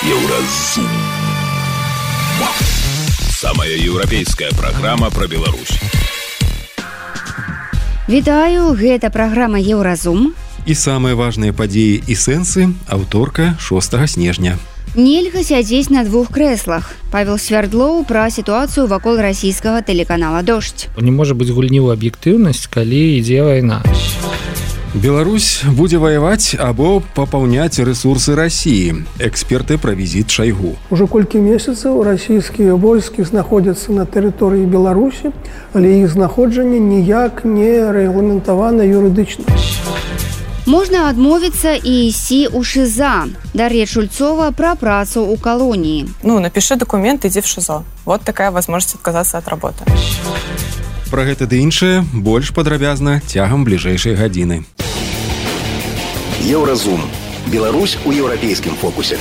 Еўразум. Самая еўрапейская праграма пра Беларусь. Вітаю, гэта праграма Еўразум. І самыя важныя падзеі і сэнсы аўторка 6 снежня. Нельга сядзець на двух крэслах. Павел Свярдлоў пра сітуацыю вакол расійскага тэлеканала «Дождь». Не можа быць гульні ў аб'ектыўнасць, калі ідзе вайна. Беларусь будзе ваяваць або папаўняць рэсурсы Расіі. Эксперты пра візіт Шайгу. Уже колькі месяцаў расійскія войскі знаходзяцца на тэрыторыі Беларусі, але іх знаходжанне ніяк не рэгламентавана юрыдычна. Можна адмовіцца і ісці ў ШИЗО. Дар'я Шульцова пра працу ў калоніі. Напиши документ, иди в ШИЗО. Вот такая возможность отказаться от работы. Пра гэта ды іншае больш падрабязна цягам бліжэйшай гадзіны. Еўразум. Беларусь у еўрапейскім фокусе.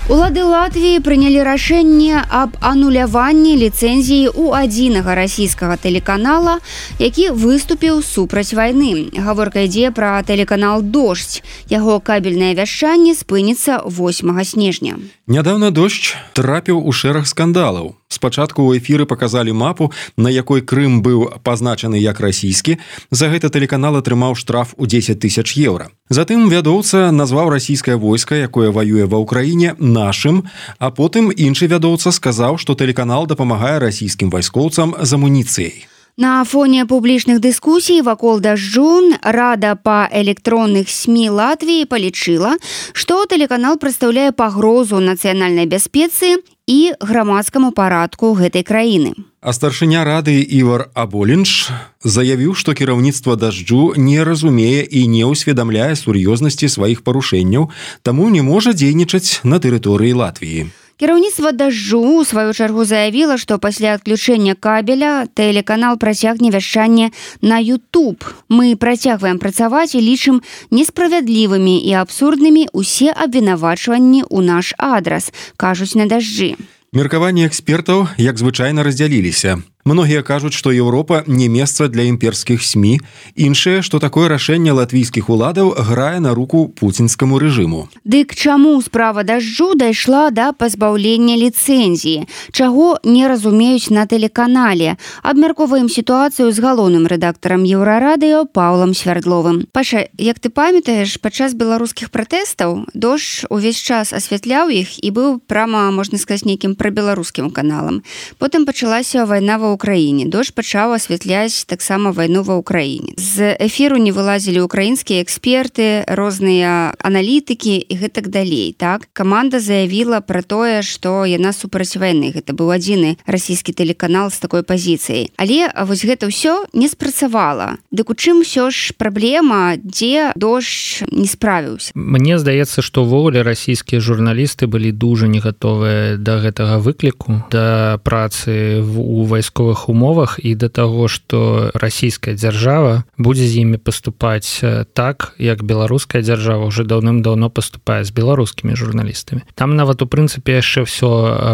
Улады Латвіі прынялі рашэнне аб ануляванні ліцэнзіі ў адзінага расійскага тэлеканала, які выступіў супраць вайны. Гаворка ідзе пра тэлеканал «Дождь». Яго кабельнае вяшчанне спыніцца 8 снежня. Нядаўна «Дождь» трапіў у шэраг скандалаў. Спачатку ў эфіры паказалі мапу, на якой Крым быў пазначаны як расійскі. За гэта тэлеканал атрымаў штраф у 10 000 еўра. Затым вядоўца назваў расійскае войска, якое ваюе ва ўкраіне, нашым, а потым іншы вядоўца сказаў, што тэлеканал дапамагае расійскім вайскоўцам з амуніцыяй. На фоне публічных дыскусій вакол «Дажджу» Рада па электронных СМІ Латвіі палічыла, што тэлеканал прадстаўляе пагрозу нацыянальнай бяспецы і грамадскаму парадку гэтай краіны. А старшыня рады Івар Аболінш заявіў, што кіраўніцтва «Дажджу» не разумее і не ўсведамляе сур'ёзнасці сваіх парушэнняў, таму не можа дзейнічаць на тэрыторыі Латвіі. Кіраўніцтва «Дажджу» у сваю чаргу заявіла, што пасля адключэння кабеля тэлеканал працягне вяшчанне на YouTube. Мы працягваем працаваць і лічым несправядлівымі і абсурднымі усе абвінавачванні ў наш адрас, кажуць на «Дажджы». Меркаванні экспертаў, як звычайна, раздзяліліся. Многія кажуць, што Еўропа не месца для імперскіх СМІ. Іншыя, што такое рашэнне латвійскіх уладаў грае на руку пуцінскаму рэжыму. Дык чаму справа «Дажджу» дайшла да пазбаўлення ліцэнзіі? Чаго не разумеюць на тэлеканале? Абмяркоўваем сітуацыю з галоўным рэдактарам Еўрарадыё Паўлам Свярдловым. Паша, як ты памятаеш, падчас беларускіх пратэстаў «Дождь» увесь час асвятляў іх і быў прама, можна сказаць, нейкім прабеларускім каналам. Потым пачалася вайна ва Украіне. «Дождь» пачаў асвятляць таксама вайну ва Украіне. З эфіру не вылазілі украінскія эксперты, розныя аналітыкі і гэтак далей. Так? Каманда заявіла пра тое, што яна супраць вайны. Гэта быў адзіны расійскі тэлеканал з такой пазіцыяй. Але вось гэта ўсё не спрацавала. Дык у чым ўсё ж праблема, дзе «Дождь» не справіўся? Мне здаецца, што ўвогуле расійскія журналісты былі дужа не гатовыя да гэтага выкліку, да працы у вайсковых умовах і да таго, што расійская дзяржава будзе з імі паступаць так, як беларуская дзяржава ўжо даўным-даўно паступае з беларускімі журналістамі. Там нават у прынцыпе яшчэ ўсё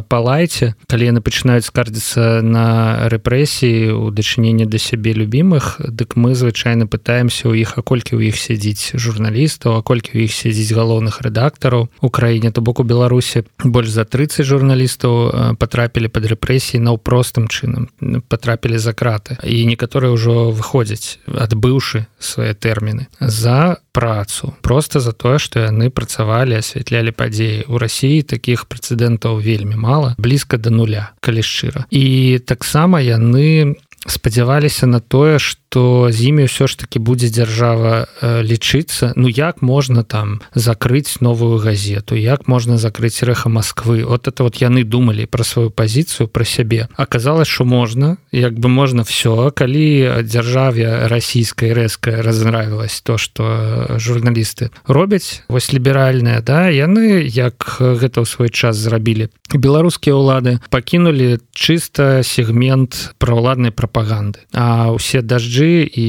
па лайце, калі яны пачынаюць скардзіцца на рэпрэсіі ў дачыненні да сябе любімых, дык мы звычайна пытаемся ў іх, а колькі ў іх сядзіць журналістаў, а колькі ў іх сядзіць галоўных рэдактараў у краіне. То бок у Беларусі больш за 30 журналістаў патрапілі пад рэпрэсіі наўпростым чынам, патрапілі за краты. І некаторыя ўжо выходзяць, адбыўшы свае тэрміны, за працу. Проста за тое, што яны працавалі, асвятлялі падзеі. У Расіі такіх прэцэдэнтаў вельмі мала, блізка да нуля, калі шчыра. І таксама яны спадзяваліся на тое, што з імі ўсё ж такі будзе дзяржава лічыцца. Як можна там закрыць новую газету, як можна закрыць Рэха Масквы. Вот это вот яны думалі пра сваю пазіцыю, пра сябе. Аказалось, што можна, як бы можна всё. Калі дзяржаве расійскай рэзка разнравілась то, што журналісты робяць, вось ліберальныя, да, яны, як гэта ў свой час зрабілі, беларускія ўлады пакінулі чыста сегмент праўладнай прапаганды. А ўсе «Дажджы» 5G і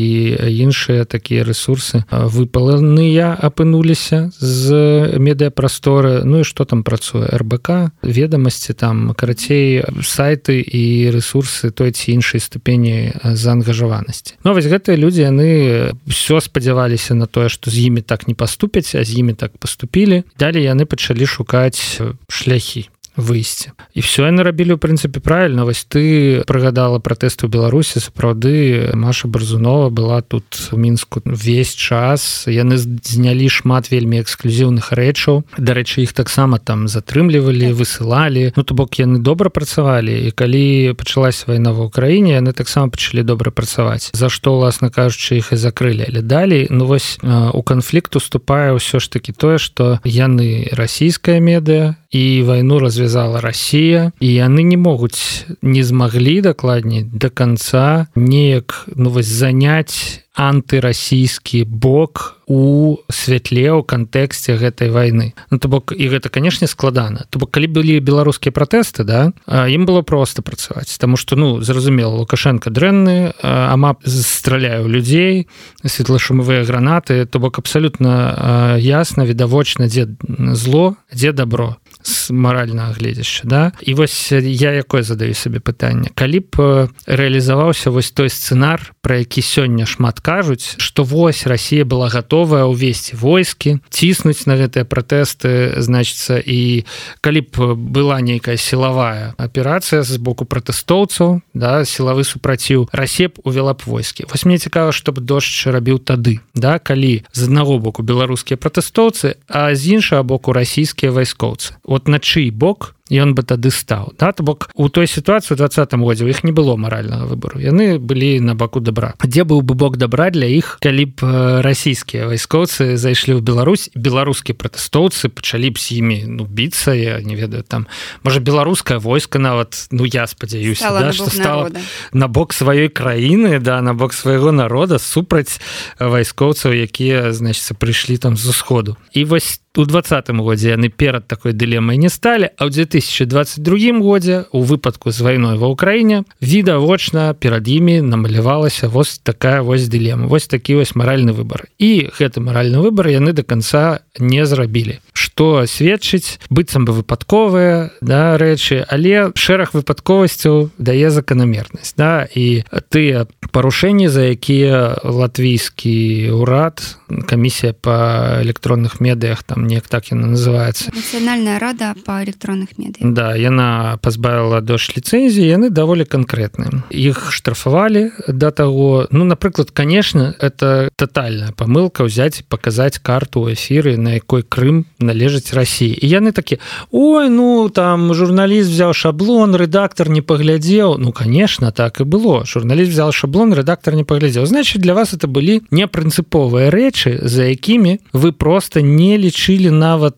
іншыя такія рэсурсы выпаленыя апынуліся з медыапрасторы. Ну і што там працуе? РБК, ведамасці, там, карацей, сайты і рэсурсы той ці іншай ступені заангажаванасці. Ну, вось гэтыя людзі, яны ўсё спадзяваліся на тое, што з імі так не паступяць, а з імі так паступілі. Далей яны пачалі шукаць шляхі выйсці. І все яны рабілі, ў прынцыпе, правільна. Вось ты прыгадала пратэсты ў Беларусі. Сапраўды, Маша Барзунова была тут у Мінску ўвесь час. Яны знялі шмат вельмі эксклюзіўных рэчаў. Дарэчы, іх таксама там затрымлівалі, высылалі. Ну, то бок, яны добра працавалі. І калі пачалась вайна ва ўкраіне, яны таксама пачалі добра працаваць. За што, уласна кажучы, іх і закрылі. Але далей, ну вось, у канфлікт уступае ўсё ж такі тое, што яны расійская медыа, і вайну развязала Расія, і яны не могуць, не змаглі дакладней да канца неяк, ну вось, заняць антырасійскі бок у святле, у кантэксце гэтай вайны. Ну, то бок, і гэта, канешне, складана. То бок, калі былі беларускія пратэсты, да, ім было проста працаваць, таму што, ну, зразумела, Лукашенко дрэнны, АМАП страляе ў людзей, светлашумовыя гранаты, то бок, абсалютна ясна, відавочна, дзе зло, дзе добро з маральнага гледзяшча, да? І вось я якое задаю сабе пытанне. Калі б рэалізаваўся вось той сцэнар, пра які сёння шмат кажуць, што вось Расія была гатовая ўвесці войскі, ціснуць на гэтыя пратэсты, значыцца, і калі б была нейкая сілавая аперацыя з боку пратэстоўцаў, да, сілавы супраціў, Расія б увяла б войскі. Вось мне цікава, што б Дождж рабіў тады, да, калі з аднаго боку беларускія пратэстоўцы, а з іншага боку расійскія вайскоўцы. От на чый бок ён бы тады стаў. Да? То бок, у той сітуацыі ў 2020 годзе у іх не было маральнага выбару. Яны былі на баку добра. Дзе быў бы бок добра для іх, калі б расійскія вайскоўцы зайшлі ў Беларусь, беларускія пратэстоўцы пачалі б з імі, ну, біцца, я не ведаю, там, можа, беларускае войска нават, ну, я спадзяюся, да, што стала на бок сваёй краіны, да, на бок свайго народа супраць вайскоўцаў, якія, значыцца, прыйшлі там з усходу. І вось у 2020 годзе яны перад такой дылемай не сталі, а ў 2022 годзе у выпадку з вайной ва ўкраіне відавочна перад імі намалявалася вось такая вось дылема, вось такі вось маральны выбар. І гэты маральны выбар яны да канца не зрабілі. Што сведчыць, быццам бы выпадковыя, да, рэчы, але шэраг выпадковасцяў дае заканамернасць, да, і тыя парушэнні, за якія латвійскі ўрад, камісія па электронных медыях, там неяк так яна называецца. Нацыянальная рада па электронных медыях. Да, яна пазбавіла Дождж ліцэнзіі, яны даволі канкрэтныя. Іх штрафавалі да таго, ну, напрыклад, конечно, это тотальная памылка ўзяць і паказаць карту ў эфіры, на якой Крым належыць Расіі. І яны такі: ой, ну, там журналіст взяў шаблон, рэдактор не паглядзеў. Ну, конечно, так і было. Журналіст взял шаблон, рэдактор не паглядзеў. Значит, для вас это былі непрынцыповыя рэчы, за якімі вы просто не лічылі нават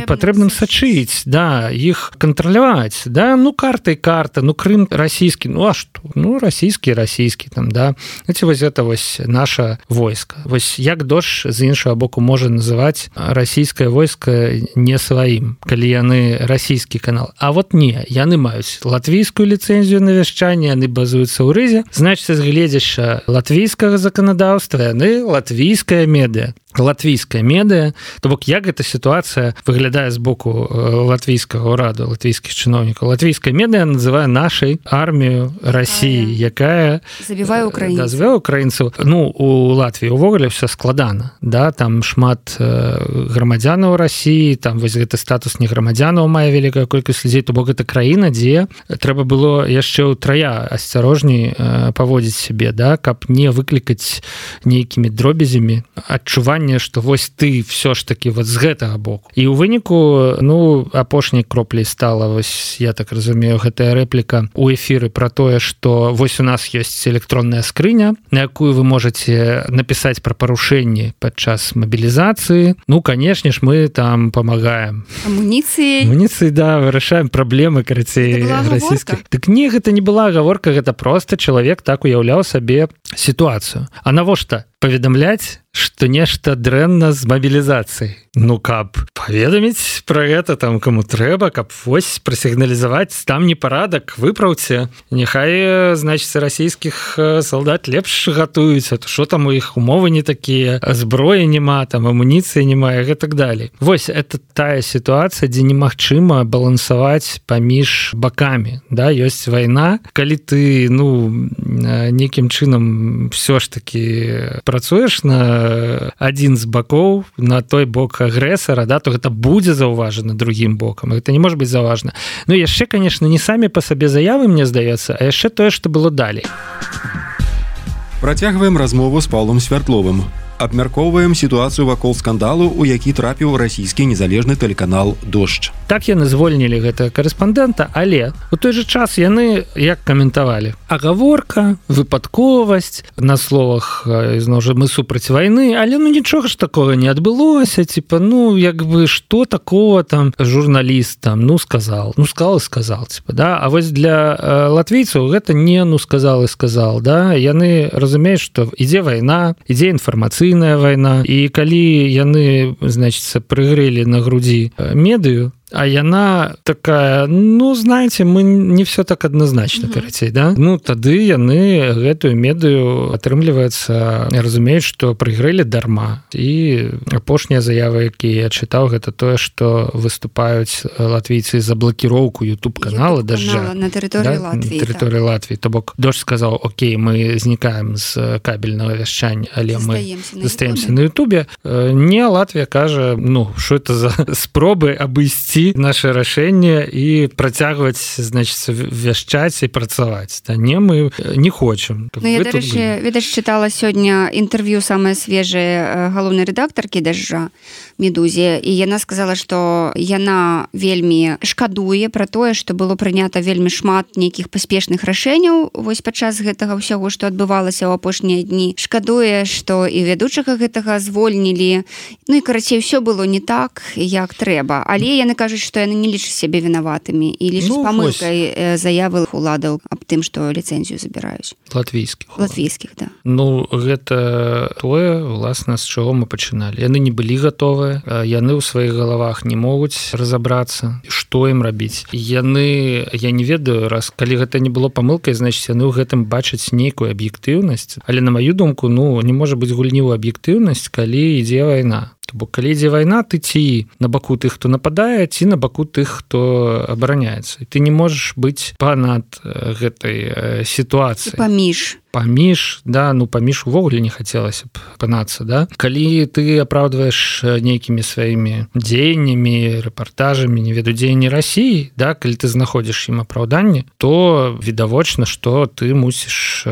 патрэбным сачыць, да, іх кантраляваць, да, ну, карта і карта, ну, Крым расійскі, ну, а што? Ну, расійскі, там, да. Ці вось гэта вось наша войска. Вось як Дождж з іншага боку можа называць расійскае войска не сваім, калі яны расійскі канал. А вот не, яны маюць латвійскую ліцэнзію на вяшчанне, яны базуюцца ў Рызе, значыць, з гледзяшча латвійскага заканадаўства яны латвійская медыа. Латвійская медыа, то бок як эта сітуацыя выглядае з боку латвійскага ўраду, латвійскіх чыноўнікаў. Латвійская медыа называе нашай армію Расіі, якая забівае украінцаў. Да, забівае украінцаў. Ну, у Латвіі ўвогуле ўсё складана, да, там шмат грамадзянаў Расіі, там вось гэты статус не грамадзянаў мае вялікая колькасць людзей, то бок гэта краіна, дзе трэба было яшчэ ўтрая асцярожней паводзіць сябе, да, каб не выклікаць нейкімі дробязямі адчуванне, што вось ты все ж таки вот з гэтага боку. І ў выніку, ну, апошняй кропляй стала, вось, я так разумею, гэтая рэпліка у эфіры пра тое, што вось у нас ёсць электронная скрыня, на якую вы можете напісаць пра парушэнні падчас мабілізацыі. Ну, канешне ж, мы там памагаем. Амуніцыі, да, вырашаем праблемы, карацей, расійскіх. Так не, гэта не была гаворка, гэта просто чалавек так уяўляў сабе сітуацыю. А навошта паведамляць, што нешта дрэнна з мабілізацыяй? Ну, каб паведаміць пра гэта там каму трэба, каб вось прасігналізаваць там непарадак, выпраўце, няхай, значыць, расійскіх салдат лепш гатуюць, а то што там у іх умовы не такія, зброі няма, там амуніцыі няма і так далей. Вось это тая сітуацыя, дзе немагчыма балансаваць паміж бакамі, да, ёсць вайна, калі ты, нейкім чынам все ж таки працуеш на адзін з бакоў, на той бок агрэсара, да, то гэта будзе заўважана другім бокам. Гэта не можа быць заўважана. Яшчэ, конечно, не самі па сабе заявы, мне здаецца, а яшчэ тое, што было далей. Працягваем размову з Паўлам Свяртловым. Абмяркоўваем сітуацыю вакол скандалу, у які трапіў расійскі незалежны тэлеканал «Дождж». Так яны звольнілі гэтага карэспандэнта, але у той же час яны як каментавалі: агаворка, выпадковасць, на словах ізноў жа мы супраць вайны, але нічога ж такога не адбылося, типа, што такого там журналіст там, сказал, типа, да? А вось для латвійцаў гэта не сказал, да? Яны разумеюць, што ідзе вайна, ідзе інфармацыйная вайна, і калі яны, значыцца, прыгрэлі на грудзі медыю, а яна такая, знаете, мы не все так адназначна, карацей, да? Тады яны гэтую медыю, атрымліваецца, разумеюць, што прыгрэлі дарма. І апошняя заява, які я чытаў, гэта тое, што выступаюць латвійцы за блакіроўку YouTube-канала «Дождя». На тэрыторыі Латвіі. На тэрыторыі Латвіі. То бок «Дождж» сказаў: окей, мы знікаем з кабельнага вяшчання, але мы застаемся на YouTube. Не, Латвія кажа, што это за спробы абысці наше рашэнне і працягваць, значыць, вяшчаць і працаваць. Не, мы не хочам. Я, дарэчы, чытала сёння інтэрв'ю самае свежае галоўнай рэдактаркі «Дажджа» Медузе, і яна сказала, што яна вельмі шкадуе пра тое, што было прынята вельмі шмат нейкіх паспешных рашэнняў вось падчас гэтага ўсяго, што адбывалася ў апошнія дні. Шкадуе, што і вядучага гэтага звольнілі. І, карацей, усё было не так, як трэба. Але яны кажуць, што яны не лічаць сябе вінаватымі і лічаць памылкай заявы уладаў аб тым, што ліцэнзію забіраюць. Латвійскіх, да. Гэта тое, власна, з чаго мы пачыналі. Яны не былі гатовыя, яны ў сваіх галавах не могуць разабрацца, што ім рабіць. Яны, я не ведаю, калі гэта не было памылкай, значыць, яны ў гэтым бачаць нейкую аб'ектыўнасць, але, на маю думку, не можа быць гульні ў аб'ектыўнасць, калі ідзе вайна. Бо калі ідзе вайна, ты ці на баку тых, хто нападае, ці на баку тых, хто абараняецца. І ты не можаш быць панад гэтай сітуацыі. Паміж, да, паміж увогуле не хацелася б панацца, да? Калі ты апраўдваеш нейкімі сваімі дзеяннямі, рэпартажамі, не веду, дзеянні Расіі, да, калі ты знаходзіш ім апраўданне, то відавочна, што ты мусіш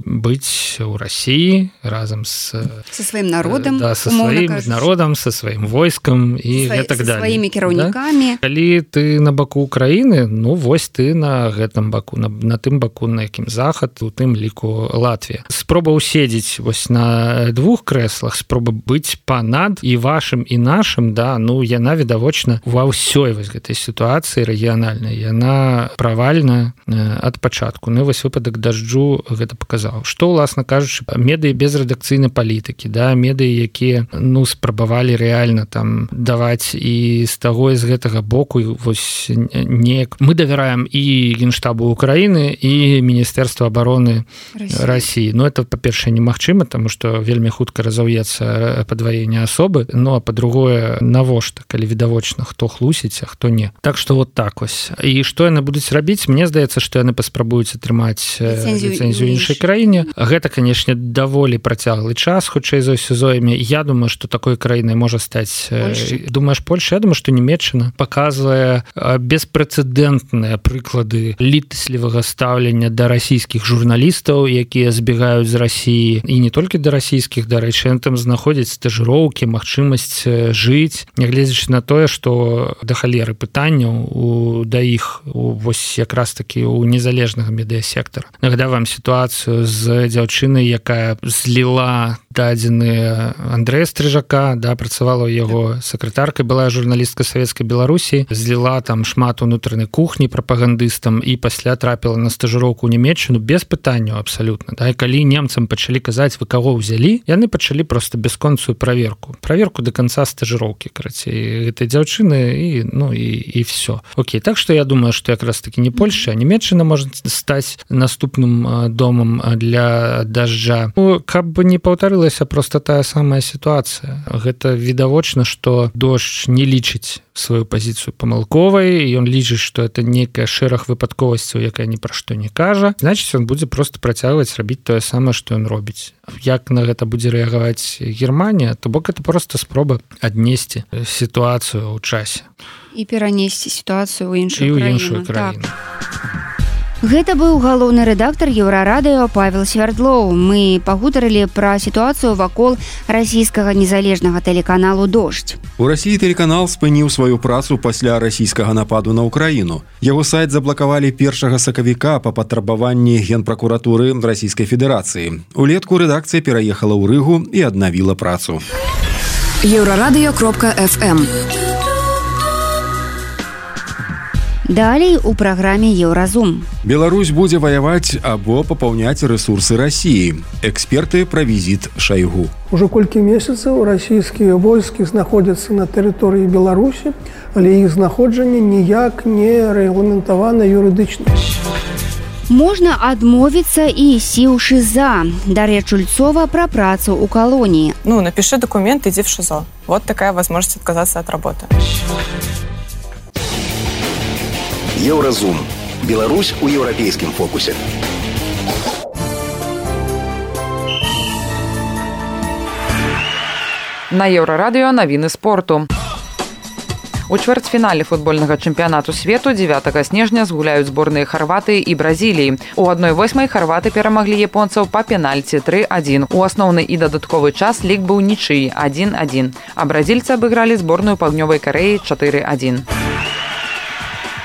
быць у Расіі разам са сваім народам, да, са сваім народам, са сваім войскам і гэтак далей. Са сваімі кіраўнікамі. Да? Калі ты на баку Украіны, вось ты на гэтым баку, на тым баку, на якім захад, у тым ліку Латвія. Спроба уседзець вось на двух крэслах, спроба быць панад і вашым, і нашым, да, яна відавочна ва ўсёй вось гэтай сітуацыі рэгіянальнай, яна правальная ад пачатку. Вось выпадак «Дажджу» гэта паказаў. Што, уласна кажучы, медыі без рэдакцыйнай палітыкі, да, медыі, якія, спрабавалі рэальна там даваць і з таго, і з гэтага боку, вось неяк. Мы давяраем і Генштабу Украіны, і Міністэрству абароны Расіі. Это, па-першае, немагчыма, таму што вельмі хутка разаўецца падваенне асобы, а па-другое, навошта, калі відавочна, хто хлусіць, а хто не. Так што вот так вось. І што яны будуць рабіць? Мне здаецца, што яны паспрабуюць атрымаць ліцэнзію іншай краіне. Гэта, канешне, даволі працяглы час, хутчэй за ўсё зойме. Я думаю, што такой краінай можа стаць... Думаеш, Польша? Я думаю, што Нямецчына паказвае беспрэцэдэнтныя прыклады літаслівага стаўлення да расійскіх журналістаў, якія збегаюць з Расіі, і не толькі да расійскіх, дарэчы, там знаходзяць стажыроўкі, магчымасць жыць, нягледзячы на тое, што да халеры пытанняў да іх вось якраз такі у незалежнага медыасектара. Нагадаю вам сітуацыю з дзяўчынай, якая зліла дадзены Андрэя Стрыжака, працавала ў яго сакратаркай, была журналістка Савецкай Беларусі, зліла там шмат унутранай кухні прапагандыстам і пасля трапіла на стажыроўку ў Нямецчыну без пытанняў абсалютна. І калі немцам пачалі казаць, вы каго ўзялі, яны пачалі проста бясконцую праверку да канца стажыроўкі, карацей, гэтай дзяўчыны і все. Окей, так што я думаю, што якраз таки не Польша, а Нямецчына можа стаць наступным домам для дажджа. Каб не паўтарылася проста тая самая сітуацыя. Гэта відавочна, што дождж не лічыць сваю пазіцыю памылковай, і ён лічыць, што это нейкая шэраг выпадковасцяў, якая ні пра што не кажа. Значыць, ён будзе проста працягваць рабіць тое самае, што ён робіць. Як на гэта будзе рэагаваць Германія, то бок это проста спроба аднесці сітуацыю ў часе. І перанесці сітуацыю ў іншую краіну. Гэта быў галоўны рэдактар Еўрарадыё Павел Свярдлоў. Мы пагутарылі пра сітуацыю вакол расійскага незалежнага тэлеканалу «Дождь». У Расіі тэлеканал спыніў сваю працу пасля расійскага нападу на Ўкраіну. Яго сайт заблакавалі 1 сакавіка па патрабаванні Генпракуратуры Расійскай Федэрацыі. Улетку рэдакцыя пераехала ў Рыгу і аднавіла працу. Еўрарадыё.фм. Далей у праграме «Еўразум». Беларусь будзе ваяваць або папаўняць рэсурсы Расіі. Эксперты пра візіт Шайгу. Уже колькі месяцаў расійскія войскі знаходзяцца на тэрыторыі Беларусі, але іх знаходжанне ніяк не рэгламентавана юрыдычна. Можна адмовіцца і ісці ў ШИЗА. Дар'я Чульцова пра працу ў калоніі. Напиши документ, иди в ШИЗО. Вот такая возможность отказаться от работы. Еўразум. Беларусь у еўрапейскім фокусе. На Еўрарадыё навіны спорту. У чвэрцьфінале футбольнага чэмпіянату свету 9 снежня згуляюць зборныя Харватыі і Бразіліі. У 1/8 харваты перамаглі японцаў па пенальці 3-1. У асноўны і дадатковы час лік быў нічыі 1-1, а бразільцы абыгралі зборную Паўднёвай Карэі 4-1.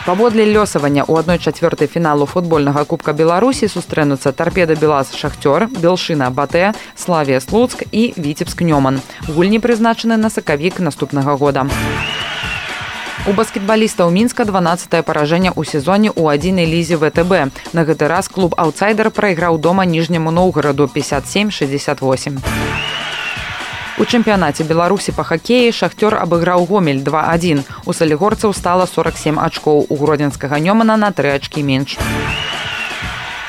Паводле лёсавання ў 1/4 фіналу футбольнага Кубка Беларусі сустрэнуцца Тарпеда Белаз Шахтёр, Белшына Батэ, Славія Слуцк і Віцебск Нёман. Гульні прызначаны на сакавік наступнага года. У баскетбалістаў Мінска 12-е паражэнне ў сезоне ў 1-й лізе ВТБ. На гэты раз клуб «Аўтсайдер» прайграў дома Ніжняму Новгараду 57-68. У чэмпіянаце Беларусі па хакеі Шахтёр абыграў Гомель 2-1. У салігорцаў стала 47 ачкоў, у гродзенскага Нёмана на 3 ачкі менш.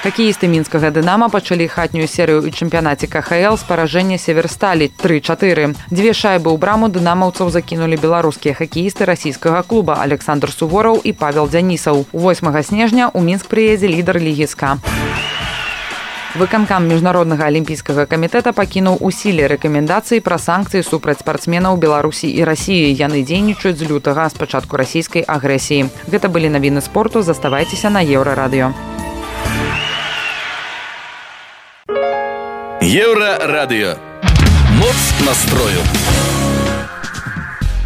Хакеісты мінскага «Дынама» пачалі хатнюю серыю ў чэмпіянаце КХЛ з паражэння Северсталі 3-4. 2 шайбы ў браму дынамаўцаў закінулі беларускія хакеісты расійскага клуба Александр Сувораў і Павел Дзянісаў. 8 снежня ў Мінск прыедзе лідар лігі СКА. Выканкам Міжнароднага алімпійскага камітэта пакінуў у сіле рэкамендацыі пра санкцыі супраць спартсменаў Беларусі і Расіі. Яны дзейнічаюць з лютага, з пачатку расійскай агрэсіі. Гэта былі навіны спорту. Заставайцеся на Еўрарадыё. Еўрарадыё. Моц настрою.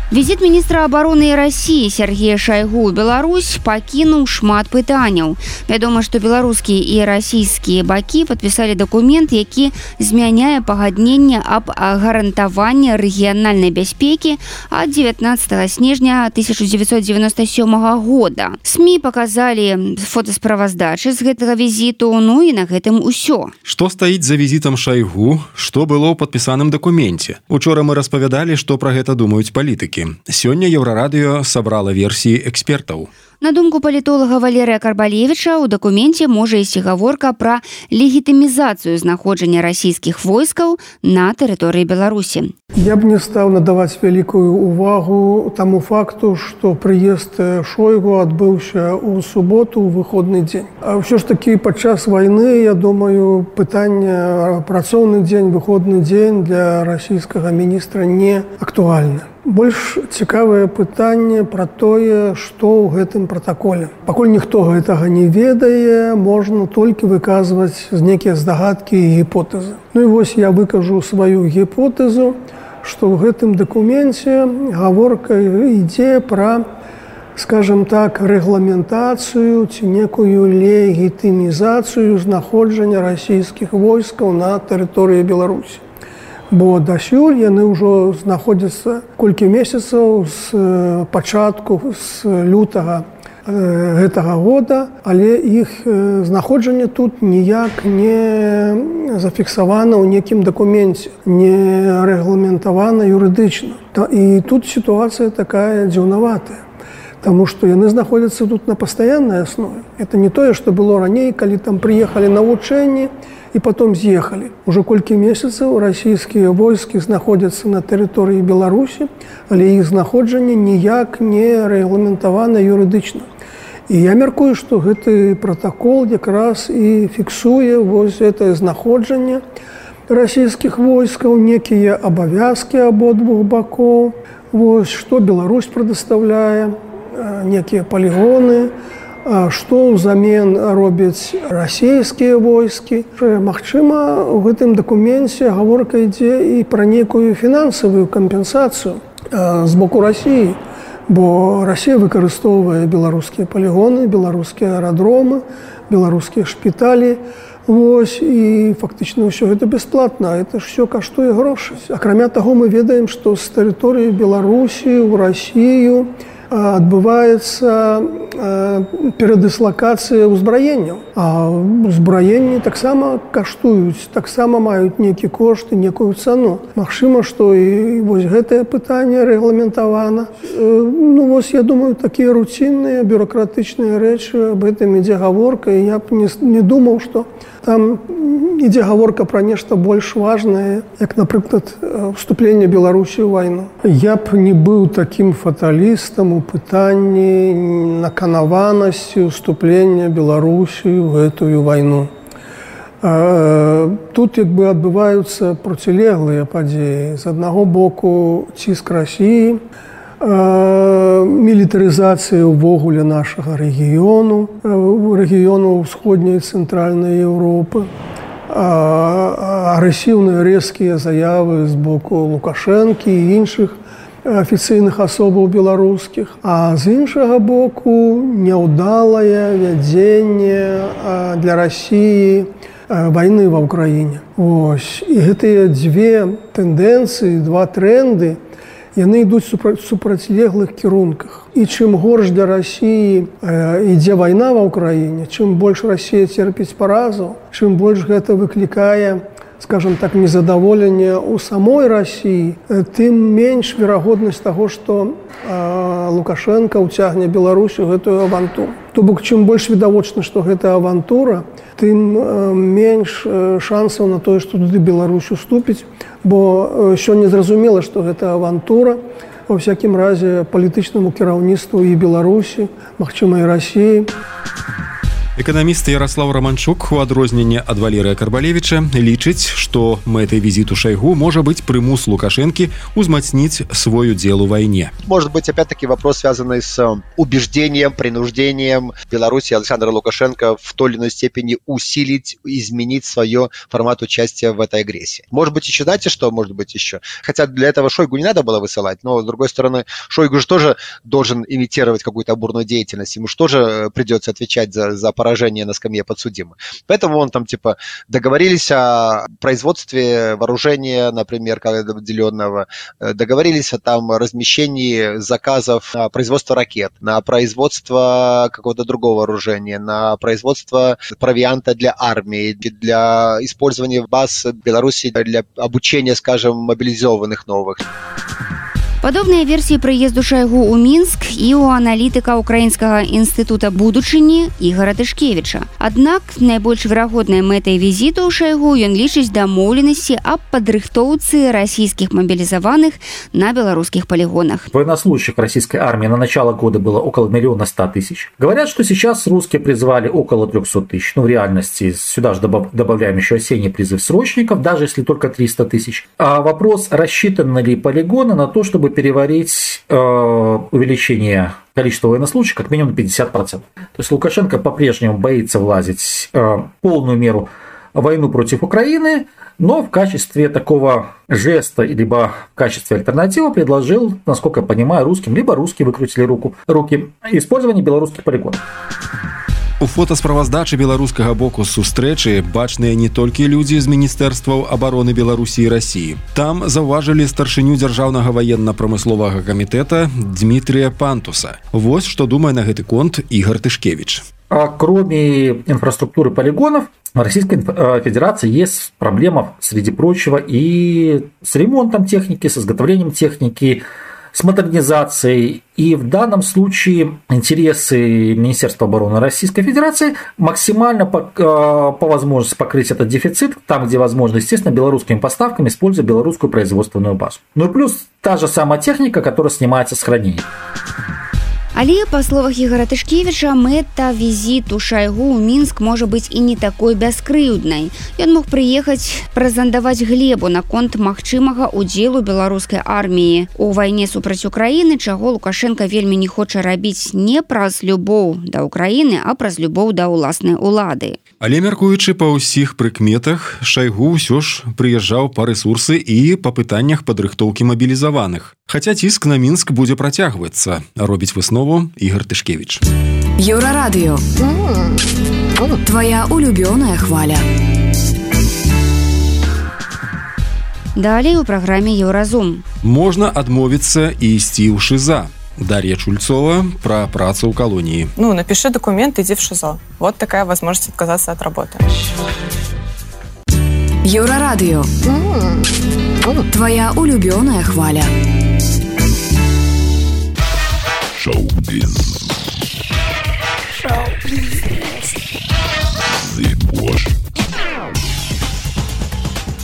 Візіт міністра абароны Расіі Сергея Шайгу ў Беларусь пакінуў шмат пытанняў. Вядома, што беларускія і расійскія бакі падпісалі дакумент, які змяняе пагадненне аб гарантаванні рэгіянальнай бяспекі ад 19 снежня 1997 года. СМІ паказалі фотасправаздачы з гэтага візіту, і на гэтым усё. Што стаіць за візітам Шайгу? Што было ў падпісаным дакуменце? Учора мы распавядалі, што пра гэта думаюць палітыкі. Сёння Еўрарадыё сабрала версіі экспертаў. На думку палітолага Валерыя Карбалевіча, у дакуменце можа ісці гаворка пра легітымізацыю знаходжання расійскіх войскаў на тэрыторыі Беларусі. Я б не стаў надаваць вялікую увагу таму факту, што прыезд Шойгу адбыўся ў суботу ў выходны дзень. А ўсё ж такі падчас вайны, я думаю, пытанне працоўны дзень, выходны дзень для расійскага міністра не актуальна. Больш цікавае пытанне пра тое, што ў гэтым пратаколе. Пакуль ніхто гэтага не ведае, можна толькі выказваць нейкія здагадкі і гіпотэзы. І вось я выкажу сваю гіпотэзу, што ў гэтым дакуменце гаворка ідзе пра, скажем так, рэгламентацыю ці некую легітымізацыю знаходжання расійскіх войскаў на тэрыторыі Беларусі. Бо дасюль яны ўжо знаходзяцца колькі месяцаў з пачатку, з лютага гэтага года, але іх знаходжанне тут ніяк не зафіксавана ў некім дакуменце, не рэгламентавана юрыдычна. І тут сітуацыя такая дзіўнаватая, таму што яны знаходзяцца тут на пастаяннай аснове. Это не тое, што было раней, калі там прыехалі на вучэнні і потом з'ехалі. Ужо колькі месяцаў расійскія войскі знаходзяцца на тэрыторыі Беларусі, але іх знаходжанне ніяк не рэгламентавана юрыдычна. І я мяркую, што гэты пратакол якраз і фіксуе вось гэтае знаходжанне расійскіх войскаў, некія абавязкі абодвух бакоў, вось што Беларусь прадастаўляе, некія палігоны, што ўзамен робяць расійскія войскі. Магчыма, у гэтым дакуменце гаворка ідзе і пра некую фінансавую кампенсацыю з боку Расіі, бо Расія выкарыстоўвае беларускія палігоны, беларускія аэрадромы, беларускія шпіталі. Вось, і фактычна ўсё гэта бясплатна, это ж ўсё каштуе грошы. Акрамя таго, мы ведаем, што з тэрыторыі Беларусі ў Расію адбываецца перадыслакацыя ўзбраенняў. А ўзбраенні таксама каштуюць, таксама маюць нейкі кошт і некую цану. Магчыма, што і вось гэтае пытанне рэгламентавана. Ну вось, я думаю, такія руцінныя бюрократычныя рэчы, аб гэтым ідзе гаворка, і я б не думаў, што там ідзе гаворка пра нешта больш важнае, як, напрыклад, вступленне Беларусі ў вайну. Я б не быў такім фаталістам у пытанні наканаванасці ўступлення Беларусі ў гэтую вайну. Тут як бы адбываюцца процілеглыя падзеі. З аднаго боку ціск Расіі, мілітарызацыя ўвогуле нашага рэгіёну, рэгіёну ўсходняй і цэнтральнай Еўропы, агрэсіўныя рэзкія заявы з боку Лукашэнкі і іншых афіцыйных асобаў беларускіх, а з іншага боку няўдалае вядзенне для Расіі вайны ва ўкраіне. Ось. І гэтыя дзве тэндэнцыі, два трэнды, яны ідуць супрацьлеглых кірунках. І чым горш для Расіі ідзе вайна ва ўкраіне, чым больш Расія церпіць паразу, чым больш гэта выклікае, скажем так, незадаволенне ў самой Расіі, тым менш верагоднасць таго, што Лукашенко ўцягне Беларусь у гэтую авантуру. То бок, чым больш відавочна, што гэта авантура, тым менш шансаў на тое, што туды Беларусь уступіць, бо сёння зразумела, што гэта авантура, ва всякім разе палітычнаму кіраўніцтву і Беларусі, магчыма, і Расіі. Эканаміст Ярослав Романчук, у адрозненне ад Валерыя Карбалевіча, лічыць, што мэтай візіту Шойгу можа быць прымус Лукашэнкі узмацніць свой удзел у вайне. Может быть, опять-таки, вопрос, связанный с убеждением, принуждением Беларуси Александра Лукашенко в той или иной степени усилить, изменить свое формат участия в этой агрессии. Может быть, еще, знаете, что может быть еще? Хотя для этого Шойгу не надо было высылать, но, с другой стороны, Шойгу же тоже должен имитировать какую-то бурную деятельность, ему же тоже придется отвечать за поражение на скамье подсудимых. Поэтому он там типа договорились о производстве вооружения, например, определенного, договорились о там размещении заказов на производство ракет, на производство какого-то другого вооружения, на производство провианта для армии, для использования баз Беларуси для обучения, скажем, мобилизованных новых. Падобныя версіі прыезду Шойгу ў Мінск і ў аналітыка Украінскага інстытута будучыні Ігора Тышкевіча. Аднак найбольш верагоднай мэтай візіту ў Шойгу ён лічыць дамоўленасці аб падрыхтоўцы расійскіх мобилизованных на белорусских полигонах. Военнослужащих российской армии на начало года было около 1 100 000. Говорят, что сейчас русские призвали около 300 000. Ну, в реальности сюда же добавляем еще осенний призыв срочников, даже если только 300 000. А вопрос, рассчитаны ли полигоны на то, чтобы переварить увеличение количества военнослужащих как минимум на 50%. То есть Лукашенко по-прежнему боится влазить в полную меру в войну против Украины, но в качестве такого жеста, либо в качестве альтернативы предложил, насколько я понимаю, русским, либо русские выкрутили руки, использование белорусских полигонов. У фотасправаздачы беларускага боку сустрэчы бачныя не толькі людзі з міністэрстваў абароны Беларусі і Расіі. Там заўважылі старшыню дзяржаўнага ваенна-прамысловага камітэта Дмітрия Пантуса. Вось што думае на гэты конт Игорь Тышкевич. Кроме инфраструктуры полигонов, в Российской Федерации есть проблема, среди прочего, и с ремонтом техники, с изготовлением техники, с модернизацией. И в данном случае интересы Министерства обороны Российской Федерации максимально по возможности покрыть этот дефицит, там, где возможно, естественно, белорусскими поставками, используя белорусскую производственную базу. Ну и плюс та же самая техника, которая снимается с хранения. Але, па словах Ігора Тышкевіча, мэта візіту Шайгу ў Мінск можа быць і не такой бяскрыўднай. Ён мог прыехаць прэзентаваць глебу наконт магчымага ўдзелу беларускай арміі у вайне супраць Украіны, чаго Лукашенко вельмі не хоча рабіць не праз любоў да Украіны, а праз любоў да ўласнай улады. Але мяркуючы па ўсіх прыкметах, Шайгу ўсё ж прыязджаў па рэсурсы і па пытаннях падрыхтоўкі мабілізаваных. Хаця ціск на Мінск будзе працягвацца, робіць выснову Игорь Тышкевич. Еўрарадыё. Твоя улюбёная хваля. Далей у праграме Еўразум. Можна адмовіцца і ісці ў ШИЗА. Дарья Чульцова про працу ў калоніі. Напиши документ, иди в ШИЗО. Вот такая возможность отказаться от работы. Еўрарадыё. Твоя улюбёная хваля. Шоу-біз.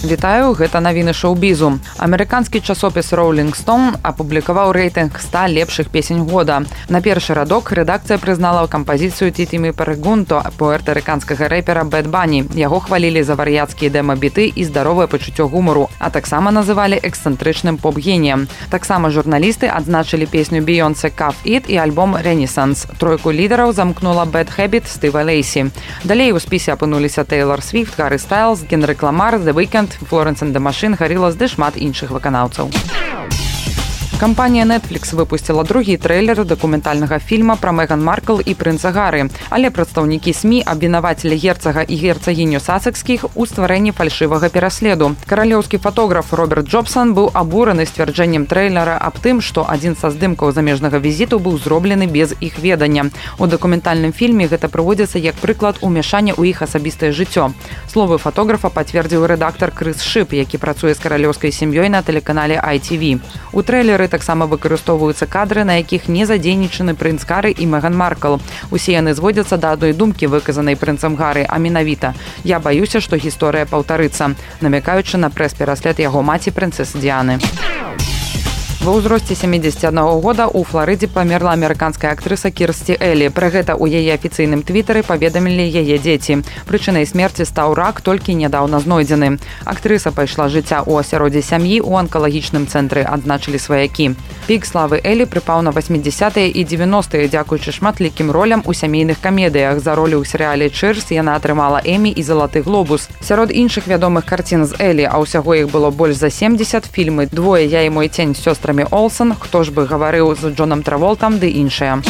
Вітаю, гэта навіны шоу-бізу. Амерыканскі часопіс Rolling Stone апублікаваў рэйтынг 100 лепшых песень года. На першы радок рэдакцыя прызнала кампазіцыю Тітімі Перегунто пуэртарыканскага рэпера Бэд Бані. Яго хвалілі за вар'яцкія дэма-біты і здаровае пачуццё гумару, а таксама называлі эксцэнтрычным поп-геніем. Таксама журналісты адзначылі песню Бейонсе «Cuff It» і альбом «Renaissance». Тройку лідараў замкнула Bad Habit Стыва Лейсі. Далей у спісе апынуліся Тейлор Свіфт, Гаррі Стайлз, Генрик Ламар, The Weeknd, Florence and the Machine, Gorillaz ды шмат іншых выканаўцаў. Кампанія Netflix выпусціла другі трэйлер дакументальнага фільма пра Меган Маркл і прынца Гары, але прадстаўнікі СМІ абвінавацілі герцага і герцагіню Сасекскіх у стварэнні фальшывага пераследу. Каралеўскі фотограф Роберт Джобсон быў абураны сцвярджэннем трэйлера аб тым, што адзін са здымкаў замежнага візіту быў зроблены без іх ведання. У дакументальным фільме гэта прыводзіцца як прыклад умяшання ў іх асабістае жыццё. Словы фотографа пацвердзіў рэдактар Крыс Шып, які працуе з каралеўскай сям'ёй на тэлеканале ITV. У трэйлеры таксама выкарыстоўваюцца кадры, на якіх не задзейнічаны прынц Гары і Меган Маркл. Усе яны зводзяцца да адной думкі, выказанай прынцам Гары, а менавіта: «Я баюся, што гісторыя паўтарыцца», намякаючы на прэс-пераслед яго маці прынцэсы Діаны. Ва ўзросце 71 года ў Фларыдзе памерла амерыканская актрыса Кірсці Элі. Пра гэта ў яе афіцыйным твітары паведамілі яе дзеці. Прычынай смерці стаў рак, толькі нядаўна знойдзены. Актрыса пайшла жыцця ў асяроддзі сям'і ў анкалагічным цэнтры, адзначылі сваякі. Пік славы Элі прыпаў на 80-е і 90-е, дзякуючы шматлікім ролям у сямейных камедыях. За ролі ў серыяле «Чырс» яна атрымала Эмі і залаты глобус. Сярод іншых вядомых карцін з Элі, а ўсяго іх было больш за 70, фільмы «Двое, я і мой цень» з сёстрамі Олсен, «Хто ж бы гаварыў» з Джонам Траволтам ды іншыя.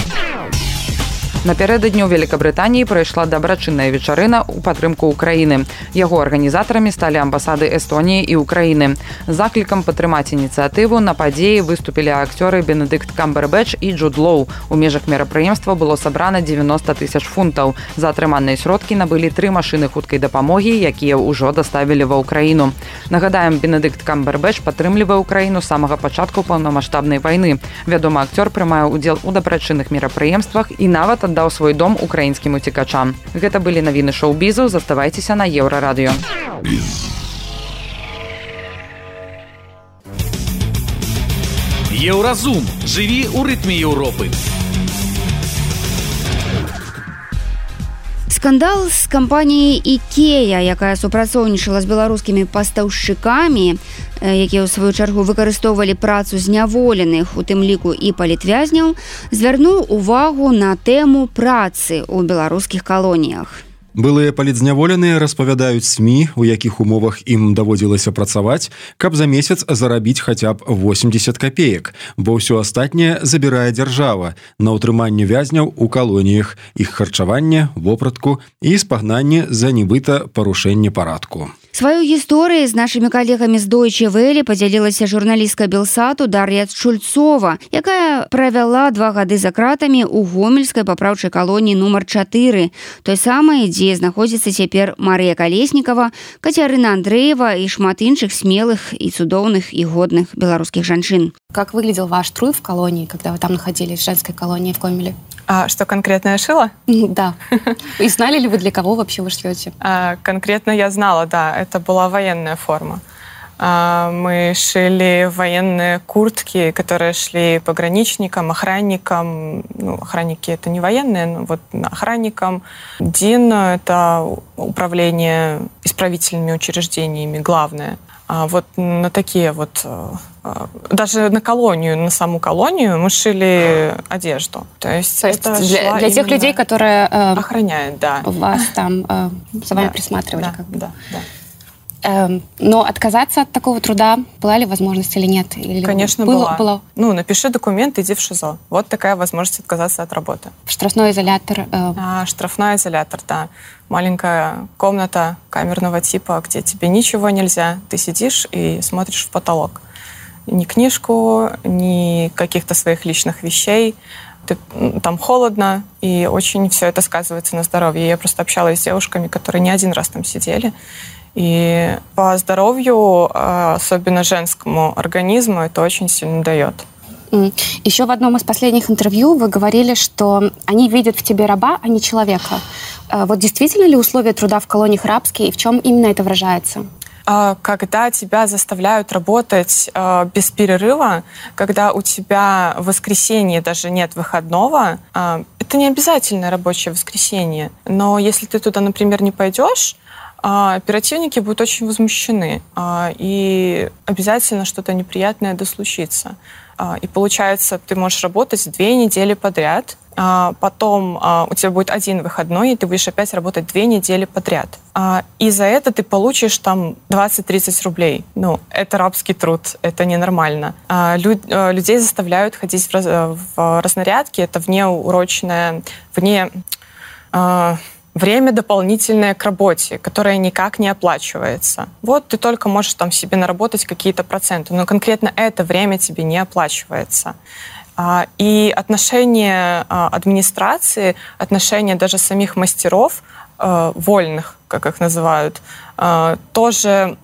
Напярэдадні ў Великабрытаніі прайшла дабрачынная вечарына ў падтрымку Украіны. Яго арганізатарамі сталі амбасады Эстоніі і Украіны. Заклікам падтрымаць ініцыятыву на падзеі выступілі акцёры Бенедикт Камбербэтч і Джуд Лоу. У межах мерапрыемства было сабрана 90 000 фунтаў. За атрыманыя сродкі набылі 3 машыны хуткай дапамогі, якія ўжо даставілі ва Ўкраіну. Нагадаем, Бенедикт Камбербэтч падтрымлівае Ўкраіну з самага пачатку паўнамаштабнай вайны. Вядомы акцёр прымае ўдзел у дабрачынных мерапрыемствах і нават даў свой дом украінскім уцекачам. Гэта былі навіны шоу-бізу, заставайцеся на Еўрарадыё. Еўразум. Жыві ў рытме Еўропы. Скандал з кампаніяй «Ікея», якая супрацоўнічала з беларускімі пастаўшчыкамі, якія ў сваю чаргу выкарыстоўвалі працу зняволеных, у тым ліку і палітвязняў, звярнуў увагу на тэму працы ў беларускіх калоніях. Былыя палідзняволеныя распавядаюць СМІ, у якіх умовах ім даводзілася працаваць, каб за месяц зарабіць хаця б 80 копеек, бо ўсё астатняе забірае дзяржава на ўтрыманне вязняў у калоніях, іх харчаванне, вопратку і спагнанне за нібыта парушэнне парадку. Сваю гісторыю з нашымі калегамі з Deutsche Welle падзялілася журналістка Белсату Дар'я Чульцова, якая правяла 2 гады за кратамі ў гомельскай папраўчай калоніі нумар 4, той самай, дзе знаходзіцца цяпер Марыя Калеснікава, Кацярына Андрэева і шмат іншых смелых і цудоўных і годных беларускіх жанчын. Как выглядел ваш труд в колонии, когда вы там находились, в женской колонии в Гомеле? А что конкретно я шила? Да. И знали ли вы, для кого вообще вы шьете? Конкретно я знала, да. Это была военная форма. Мы шили военные куртки, которые шли пограничникам, охранникам. Ну, охранники — это не военные, но вот охранникам. ДИН — это управление исправительными учреждениями, главное. Вот на такие вот... Даже на колонию, на саму колонию мы шили одежду. То есть это для тех людей, которые... охраняют, да. Вас там за вами присматривали. Да, как бы. Да. Но отказаться от такого труда была ли возможность или нет? Или конечно, была. Ну, напиши документ, иди в ШИЗО. Вот такая возможность отказаться от работы. Штрафной изолятор? Штрафной изолятор, да. Маленькая комната камерного типа, где тебе ничего нельзя. Ты сидишь и смотришь в потолок. Ни книжку, ни каких-то своих личных вещей. Там холодно, и очень все это сказывается на здоровье. Я просто общалась с девушками, которые не один раз там сидели. И по здоровью, особенно женскому организму, это очень сильно дает. Еще в одном из последних интервью вы говорили, что они видят в тебе раба, а не человека. Вот действительно ли условия труда в колониях рабские, и в чем именно это выражается? Когда тебя заставляют работать без перерыва, когда у тебя в воскресенье даже нет выходного, это не обязательно рабочее воскресенье. Но если ты туда, например, не пойдешь, оперативники будут очень возмущены, и обязательно что-то неприятное случится. И получается, ты можешь работать 2 недели подряд, потом у тебя будет 1 выходной, и ты будешь опять работать 2 недели подряд. И за это ты получишь там 20-30 рублей. Ну, это рабский труд, это ненормально. Людей заставляют ходить в разнарядки, это внеурочное, время дополнительное к работе, которое никак не оплачивается. Вот ты только можешь там себе наработать какие-то проценты, но конкретно это время тебе не оплачивается. И отношение администрации, отношение даже самих мастеров, вольных, как их называют, тоже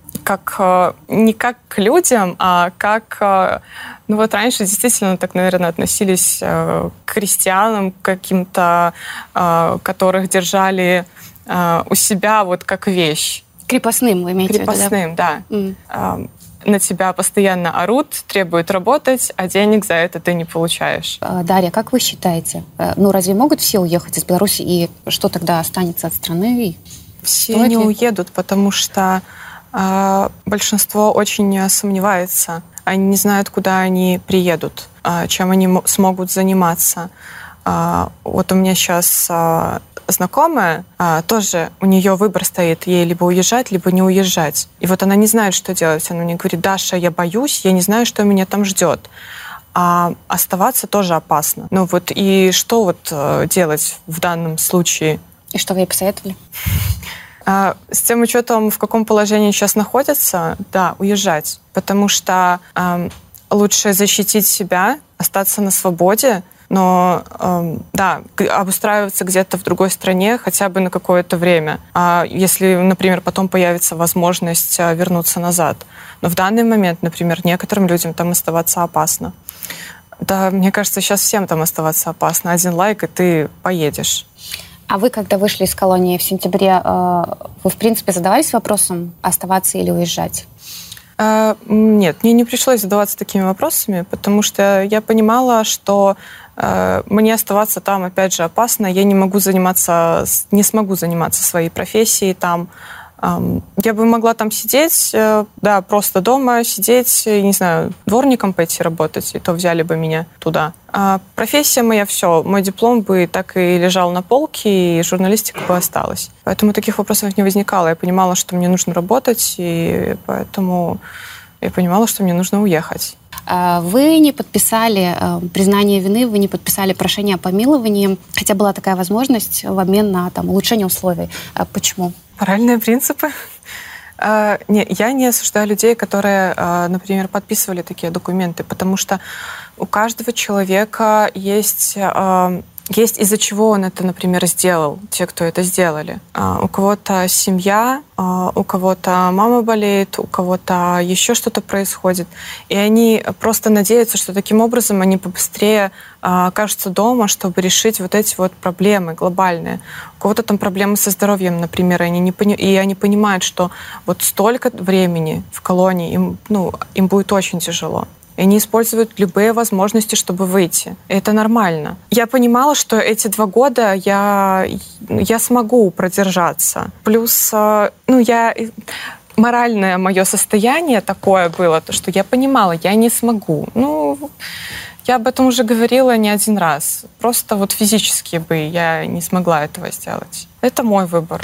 не как к людям, а как... Ну вот раньше действительно так, наверное, относились к крестьянам каким-то, которых держали у себя вот как вещь. Крепостным вы имеете в виду? Крепостным, да. На тебя постоянно орут, требуют работать, а денег за это ты не получаешь. Дарья, как вы считаете, ну разве могут все уехать из Беларуси, и что тогда останется от страны? Все не уедут, потому что большинство очень сомневается. Они не знают, куда они приедут, чем они смогут заниматься. Вот у меня сейчас знакомая, тоже у нее выбор стоит, ей либо уезжать, либо не уезжать. И вот она не знает, что делать. Она мне говорит: Даша, я боюсь, я не знаю, что меня там ждет. А оставаться тоже опасно. Ну вот и что вот делать в данном случае? И что вы ей посоветовали? С тем учетом, в каком положении сейчас находятся, да, уезжать. Потому что лучше защитить себя, остаться на свободе, но, да, обустраиваться где-то в другой стране хотя бы на какое-то время. А если, например, потом появится возможность вернуться назад. Но в данный момент, например, некоторым людям там оставаться опасно. Да, мне кажется, сейчас всем там оставаться опасно. 1 лайк, и ты поедешь. А вы, когда вышли из колонии в сентябре, вы, в принципе, задавались вопросом, оставаться или уезжать? Нет, мне не пришлось задаваться такими вопросами, потому что я понимала, что мне оставаться там, опять же, опасно. Я не смогу заниматься своей профессией там. Я бы могла там сидеть, да, просто дома сидеть, не знаю, дворником пойти работать, и то взяли бы меня туда. А профессия моя, все, мой диплом бы так и лежал на полке, и журналистика бы осталась. Поэтому таких вопросов не возникало. Я понимала, что мне нужно работать, и поэтому я понимала, что мне нужно уехать. Вы не подписали признание вины, вы не подписали прошение о помиловании, хотя была такая возможность в обмен на улучшение условий. Почему? Моральные принципы. Я не осуждаю людей, которые, например, подписывали такие документы, потому что у каждого человека есть из-за чего он это, например, сделал, те, кто это сделали. У кого-то семья, у кого-то мама болеет, у кого-то еще что-то происходит. И они просто надеются, что таким образом они побыстрее окажутся дома, чтобы решить вот эти вот проблемы глобальные. У кого-то там проблемы со здоровьем, например, и они понимают, что вот столько времени в колонии им будет очень тяжело. И они используют любые возможности, чтобы выйти. И это нормально. Я понимала, что эти 2 года я смогу продержаться. Плюс, моральное мое состояние такое было, то, что я понимала, я не смогу. Я об этом уже говорила не один раз. Просто вот физически бы я не смогла этого сделать. Это мой выбор.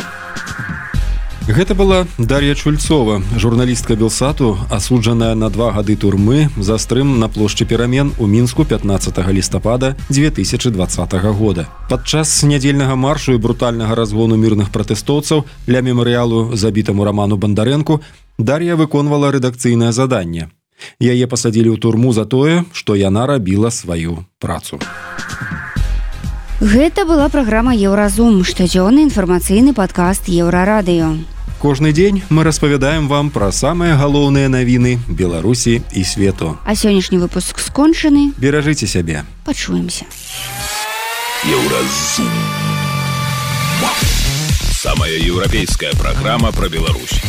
Гэта была Дар'я Чульцова, журналістка Белсату, асуджаная на 2 гады турмы за стрым на плошчы перамен у Мінску 15 лістапада 2020 года. Падчас нядзельнага маршу і брутальнага разгону мірных пратэстоўцаў ля мемарыялу забітаму Раману Бандарэнку Дар'я выконвала рэдакцыйнае заданне. Яе пасадзілі ў турму за тое, што яна рабіла сваю працу. Гэта была праграма Еўразум, штодзённы інфармацыйны падкаст Еўрарадыё. Кожны дзень мы распавядаем вам пра самыя галоўныя навіны Беларусі і свету. А сённяшні выпуск скончаны. Беражыце сябе. Пачуемся. Еўразум. Самая еўрапейская праграма пра Беларусь.